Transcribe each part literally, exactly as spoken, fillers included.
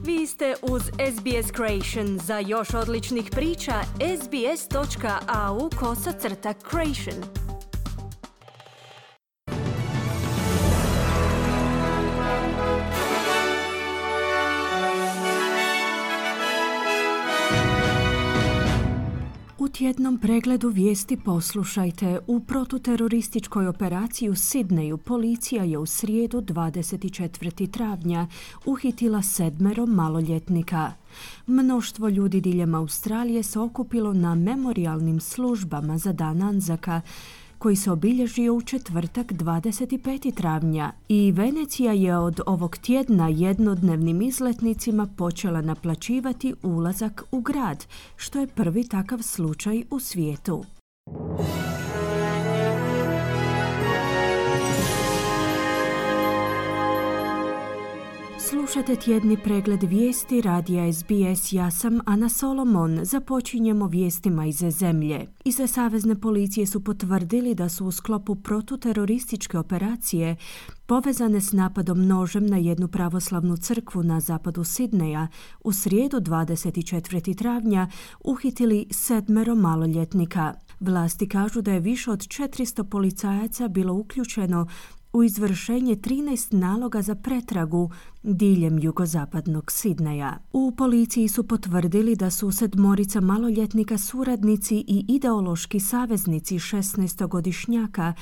Vi ste uz S B S Creation. Za još odličnih priča, sbs.au kosacrta creation. U tjednom pregledu vijesti poslušajte. U protuterorističkoj operaciji u Sidneju policija je u srijedu dvadeset četvrtog travnja uhitila sedmero maloljetnika. Mnoštvo ljudi diljem Australije se okupilo na memorijalnim službama za dan Anzaka, koji se obilježio u četvrtak dvadeset petog travnja, i Venecija je od ovog tjedna jednodnevnim izletnicima počela naplaćivati ulazak u grad, što je prvi takav slučaj u svijetu. Slušate tjedni pregled vijesti radija S B S. Ja sam Ana Solomon. Započinjemo vijestima iz zemlje. Iz savezne policije su potvrdili da su u sklopu protuterorističke operacije povezane s napadom nožem na jednu pravoslavnu crkvu na zapadu Sidneja u srijedu dvadeset četvrtog travnja uhitili sedmero maloljetnika. Vlasti kažu da je više od četiristo policajaca bilo uključeno u izvršenje trinaest naloga za pretragu diljem jugozapadnog Sidneja. U policiji su potvrdili da su sedmorica maloljetnika suradnici i ideološki saveznici šesnaestogodišnjaka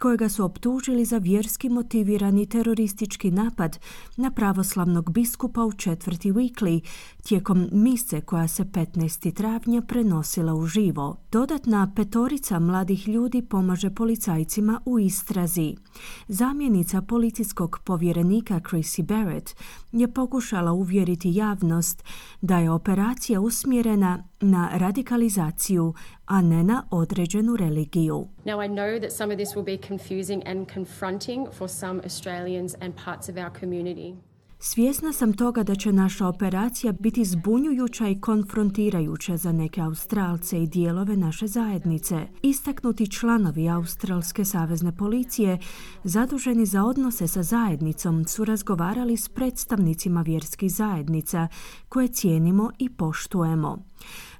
kojega su optužili za vjerski motivirani teroristički napad na pravoslavnog biskupa u četvrti Weekly tijekom mise koja se petnaestog travnja prenosila uživo. Dodatna petorica mladih ljudi pomaže policajcima u istrazi. Zamjenica policijskog povjerenika Chrissy Barrett je pokušala uvjeriti javnost da je operacija usmjerena na radikalizaciju, a ne na određenu religiju. Now I know that some of this will be confusing and confronting for some Australians and parts of our community. Svjesna sam toga da će naša operacija biti zbunjujuća i konfrontirajuća za neke Australce i dijelove naše zajednice. Istaknuti članovi Australske savezne policije, zaduženi za odnose sa zajednicom, su razgovarali s predstavnicima vjerskih zajednica koje cijenimo i poštujemo.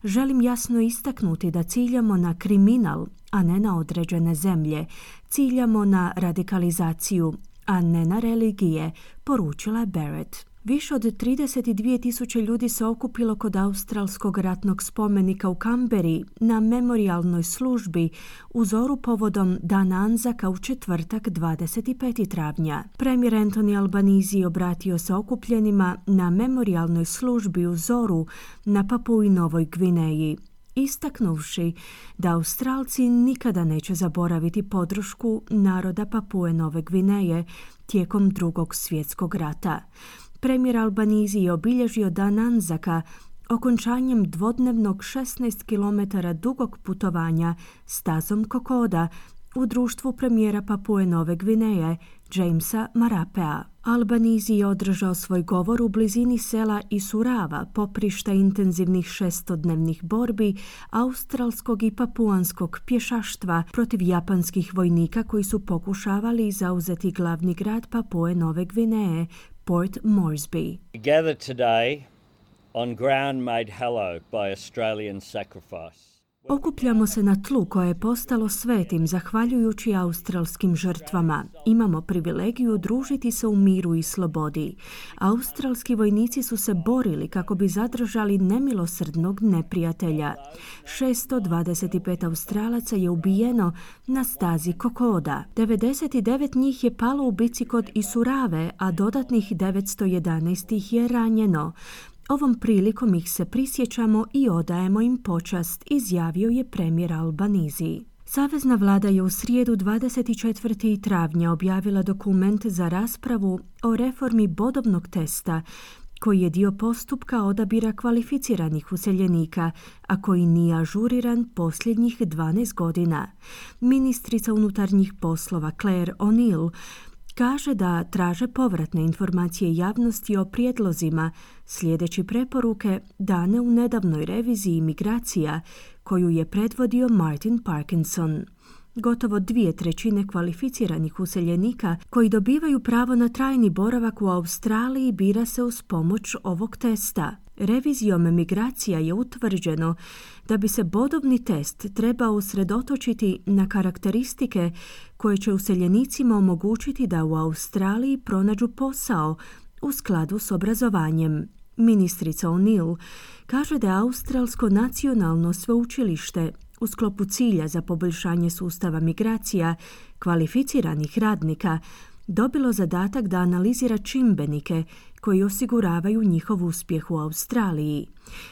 Želim jasno istaknuti da ciljamo na kriminal, a ne na određene zemlje. Ciljamo na radikalizaciju, a ne na religije, poručila je Barrett. Više od trideset dvije tisuće ljudi se okupilo kod australskog ratnog spomenika u Kamberi na memorijalnoj službi u zoru povodom Dana Anzaka u četvrtak dvadeset petog travnja. Premijer Anthony Albanese obratio se okupljenima na memorijalnoj službi u zoru na Papui Novoj Gvineji, istaknuvši da Australci nikada neće zaboraviti podršku naroda Papue Nove Gvineje tijekom Drugog svjetskog rata. Premijer Albanese je obilježio Dan Anzaka okončanjem dvodnevnog šesnaest kilometara dugog putovanja stazom Kokoda u društvu premijera Papue Nove Gvineje Jamesa Marapea. Albanese je održao svoj govor u blizini sela Isurava, poprišta intenzivnih šestodnevnih borbi australskog i papuanskog pješaštva protiv japanskih vojnika koji su pokušavali zauzeti glavni grad Papue Nove Gvineje, Port Moresby. We gather today on ground made hallowed by Australian sacrifice. Okupljamo se na tlu koje je postalo svetim zahvaljujući australskim žrtvama. Imamo privilegiju družiti se u miru i slobodi. Australski vojnici su se borili kako bi zadržali nemilosrdnog neprijatelja. šesto dvadeset pet Australaca je ubijeno na stazi Kokoda. devedeset devet njih je palo u bici kod Isurave, a dodatnih devetsto jedanaest ih je ranjeno. Ovom prilikom ih se prisjećamo i odajemo im počast, izjavio je premijer Albanese. Savezna vlada je u srijedu dvadeset četvrtog travnja objavila dokument za raspravu o reformi bodovnog testa, koji je dio postupka odabira kvalificiranih useljenika, a koji nije ažuriran posljednjih dvanaest godina. Ministrica unutarnjih poslova Claire O'Neill kaže da traže povratne informacije javnosti o prijedlozima slijedeći preporuke dane u nedavnoj reviziji migracija koju je predvodio Martin Parkinson. Gotovo dvije trećine kvalificiranih useljenika koji dobivaju pravo na trajni boravak u Australiji bira se uz pomoć ovog testa. Revizijom migracija je utvrđeno da bi se bodovni test trebao usredotočiti na karakteristike koje će useljenicima omogućiti da u Australiji pronađu posao u skladu s obrazovanjem. Ministrica O'Neill kaže da je Australsko nacionalno sveučilište u sklopu cilja za poboljšanje sustava migracija kvalificiranih radnika dobilo zadatak da analizira čimbenike koji osiguravaju njihov uspjeh u Australiji.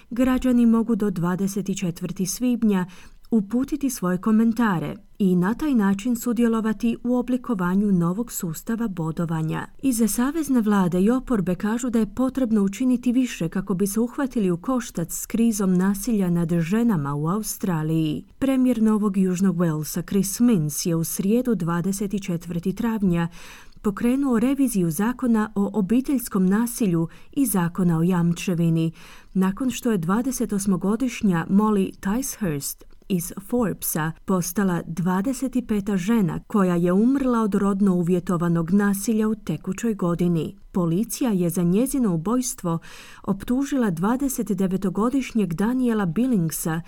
Građani mogu do dvadeset četvrtog svibnja uputiti svoje komentare i na taj način sudjelovati u oblikovanju novog sustava bodovanja. Iza savezne vlade i oporbe kažu da je potrebno učiniti više kako bi se uhvatili u koštac s krizom nasilja nad ženama u Australiji. Premijer Novog Južnog Walesa Chris Minns je u srijedu dvadeset četvrtog travnja pokrenuo reviziju zakona o obiteljskom nasilju i zakona o jamčevini, nakon što je dvadesetosmogodišnja Molly Ticehurst iz Forbesa postala dvadeset peta žena koja je umrla od rodno uvjetovanog nasilja u tekućoj godini. Policija je za njezino ubojstvo optužila dvadesetdevetogodišnjeg Daniela Billingsa,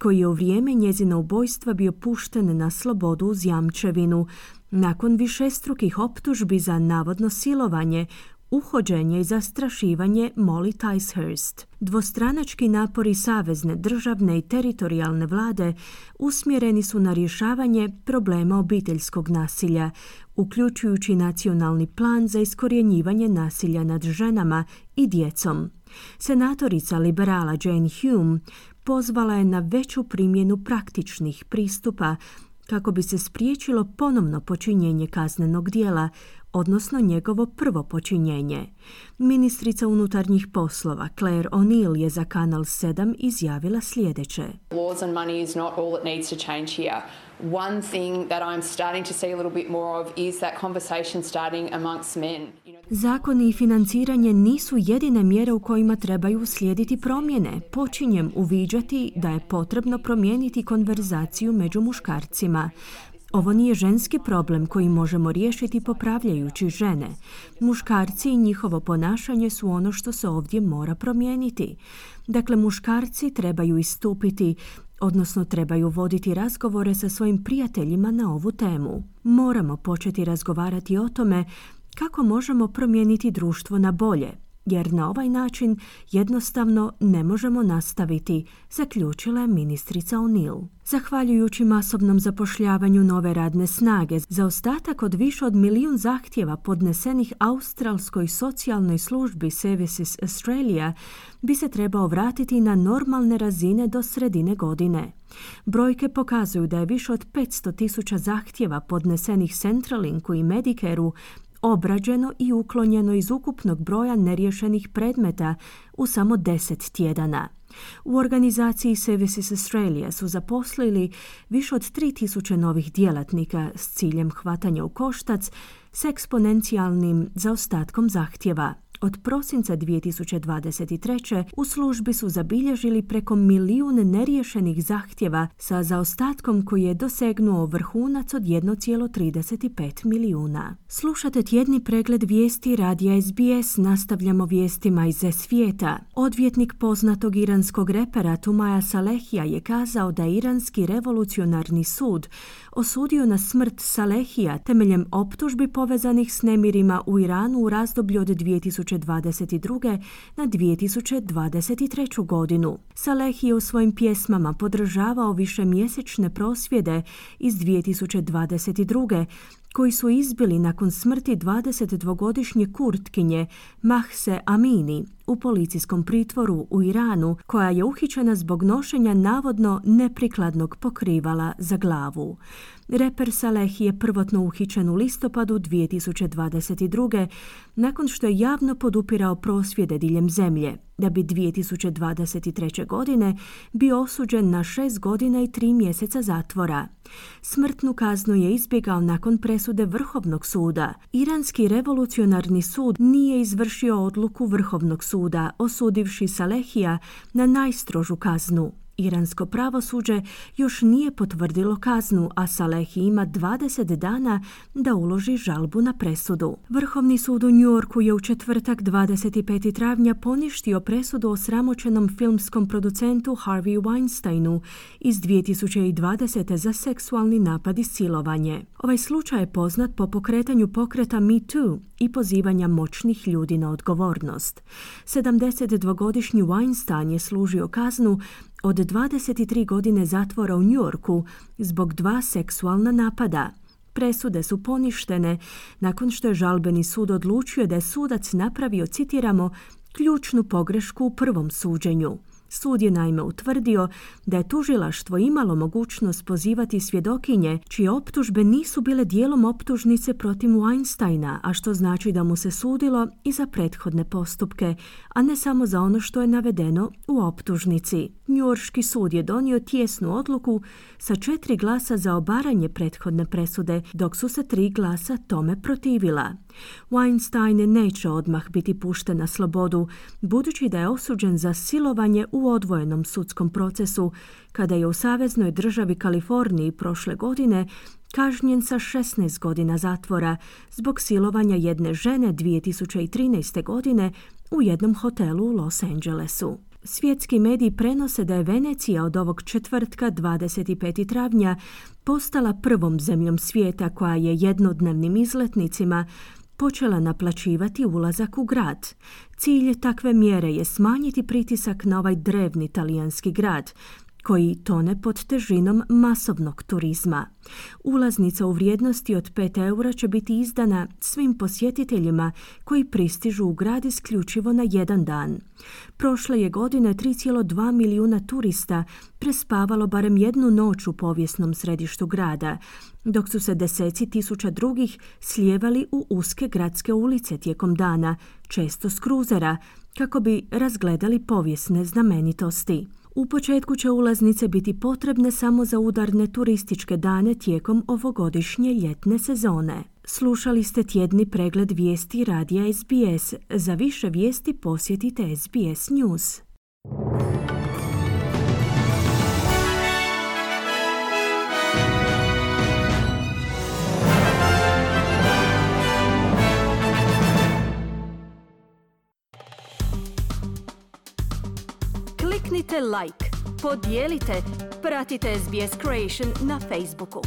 koji je u vrijeme njezina ubojstva bio pušten na slobodu uz jamčevinu, nakon višestrukih optužbi za navodno silovanje, uhođenje i zastrašivanje Molly Ticehurst. Dvostranački napori savezne, državne i teritorijalne vlade usmjereni su na rješavanje problema obiteljskog nasilja, uključujući nacionalni plan za iskorjenjivanje nasilja nad ženama i djecom. Senatorica liberala Jane Hume pozvala je na veću primjenu praktičnih pristupa kako bi se spriječilo ponovno počinjenje kaznenog djela, odnosno njegovo prvo počinjenje. Ministrica unutarnjih poslova Claire O'Neill je za Kanal sedam izjavila sljedeće. Laws on money is not all that needs to change here. One thing that I'm starting to see a little bit more of is that conversation starting amongst men. Zakoni i financiranje nisu jedine mjere u kojima trebaju uslijediti promjene. Počinjem uviđati da je potrebno promijeniti konverzaciju među muškarcima. Ovo nije ženski problem koji možemo riješiti popravljajući žene. Muškarci i njihovo ponašanje su ono što se ovdje mora promijeniti. Dakle, muškarci trebaju istupiti, odnosno trebaju voditi razgovore sa svojim prijateljima na ovu temu. Moramo početi razgovarati o tome kako možemo promijeniti društvo na bolje, jer na ovaj način jednostavno ne možemo nastaviti, zaključila je ministrica O'Neill. Zahvaljujući masovnom zapošljavanju nove radne snage, zaostatak od više od milijun zahtjeva podnesenih Australskoj socijalnoj službi Services Australia bi se trebao vratiti na normalne razine do sredine godine. Brojke pokazuju da je više od petsto tisuća zahtjeva podnesenih Centrelinku i Medicareu obrađeno i uklonjeno iz ukupnog broja neriješenih predmeta u samo deset tjedana. U organizaciji Services Australia su zaposlili više od tri tisuće novih djelatnika s ciljem hvatanja u koštac s eksponencijalnim zaostatkom zahtjeva. Od prosinca dvije tisuće dvadeset treće u službi su zabilježili preko milijun neriješenih zahtjeva sa zaostatkom koji je dosegnuo vrhunac od jedan zarez trideset pet milijuna. Slušate tjedni pregled vijesti radija S B S, nastavljamo vijestima iz svijeta. Odvjetnik poznatog iranskog repera Tumaja Salehija je kazao da je iranski revolucionarni sud osudio na smrt Salehija temeljem optužbi povezanih s nemirima u Iranu u razdoblju od dvije tisuće dvadeset druge na dvije tisuće dvadeset treću godinu. Saleh je u svojim pjesmama podržavao višemjesečne prosvjede iz dvije tisuće dvadeset druge koji su izbili nakon smrti dvadesetdvogodišnje Kurtkinje Mahse Amini u policijskom pritvoru u Iranu, koja je uhićena zbog nošenja navodno neprikladnog pokrivala za glavu. Reper Saleh je prvotno uhićen u listopadu dvije tisuće dvadeset druge nakon što je javno podupirao prosvjede diljem zemlje, da bi dvije tisuće dvadeset treće godine bio osuđen na šest godina i tri mjeseca zatvora. Smrtnu kaznu je izbjegao nakon presude Vrhovnog suda. Iranski revolucionarni sud nije izvršio odluku Vrhovnog suda, osudivši Salehija na najstrožu kaznu. Iransko pravosuđe još nije potvrdilo kaznu, a Salehi ima dvadeset dana da uloži žalbu na presudu. Vrhovni sud u New Yorku je u četvrtak dvadeset petog travnja poništio presudu o sramoćenom filmskom producentu Harvey Weinsteinu iz dvije tisuće dvadesete za seksualni napad i silovanje. Ovaj slučaj je poznat po pokretanju pokreta Me Too i pozivanja moćnih ljudi na odgovornost. sedamdesetdvogodišnji Weinstein je služio kaznu od dvadeset tri godine zatvora u New Yorku zbog dva seksualna napada. Presude su poništene nakon što je žalbeni sud odlučio da je sudac napravio, citiramo, ključnu pogrešku u prvom suđenju. Sud je naime utvrdio da je tužilaštvo imalo mogućnost pozivati svjedokinje čije optužbe nisu bile dijelom optužnice protiv Weinsteina, a što znači da mu se sudilo i za prethodne postupke, a ne samo za ono što je navedeno u optužnici. Njujorški sud je donio tijesnu odluku sa četiri glasa za obaranje prethodne presude, dok su se tri glasa tome protivila. Weinstein neće odmah biti pušten na slobodu, budući da je osuđen za silovanje u odvojenom sudskom procesu, kada je u saveznoj državi Kaliforniji prošle godine kažnjen sa šesnaest godina zatvora zbog silovanja jedne žene dvije tisuće trinaeste. godine u jednom hotelu u Los Angelesu. Svjetski mediji prenose da je Venecija od ovog četvrtka dvadeset petog travnja postala prvom zemljom svijeta koja je jednodnevnim izletnicima počela naplaćivati ulazak u grad. Cilj takve mjere je smanjiti pritisak na ovaj drevni talijanski grad, koji tone pod težinom masovnog turizma. Ulaznica u vrijednosti od pet eura će biti izdana svim posjetiteljima koji pristižu u grad isključivo na jedan dan. Prošle je godine tri zarez dva milijuna turista prespavalo barem jednu noć u povijesnom središtu grada, dok su se deseci tisuća drugih slijevali u uske gradske ulice tijekom dana, često s kruzera, kako bi razgledali povijesne znamenitosti. U početku će ulaznice biti potrebne samo za udarne turističke dane tijekom ovogodišnje ljetne sezone. Slušali ste tjedni pregled vijesti radija S B S. Za više vijesti posjetite S B S News. Kliknite like, podijelite, pratite S B S Creation na Facebooku.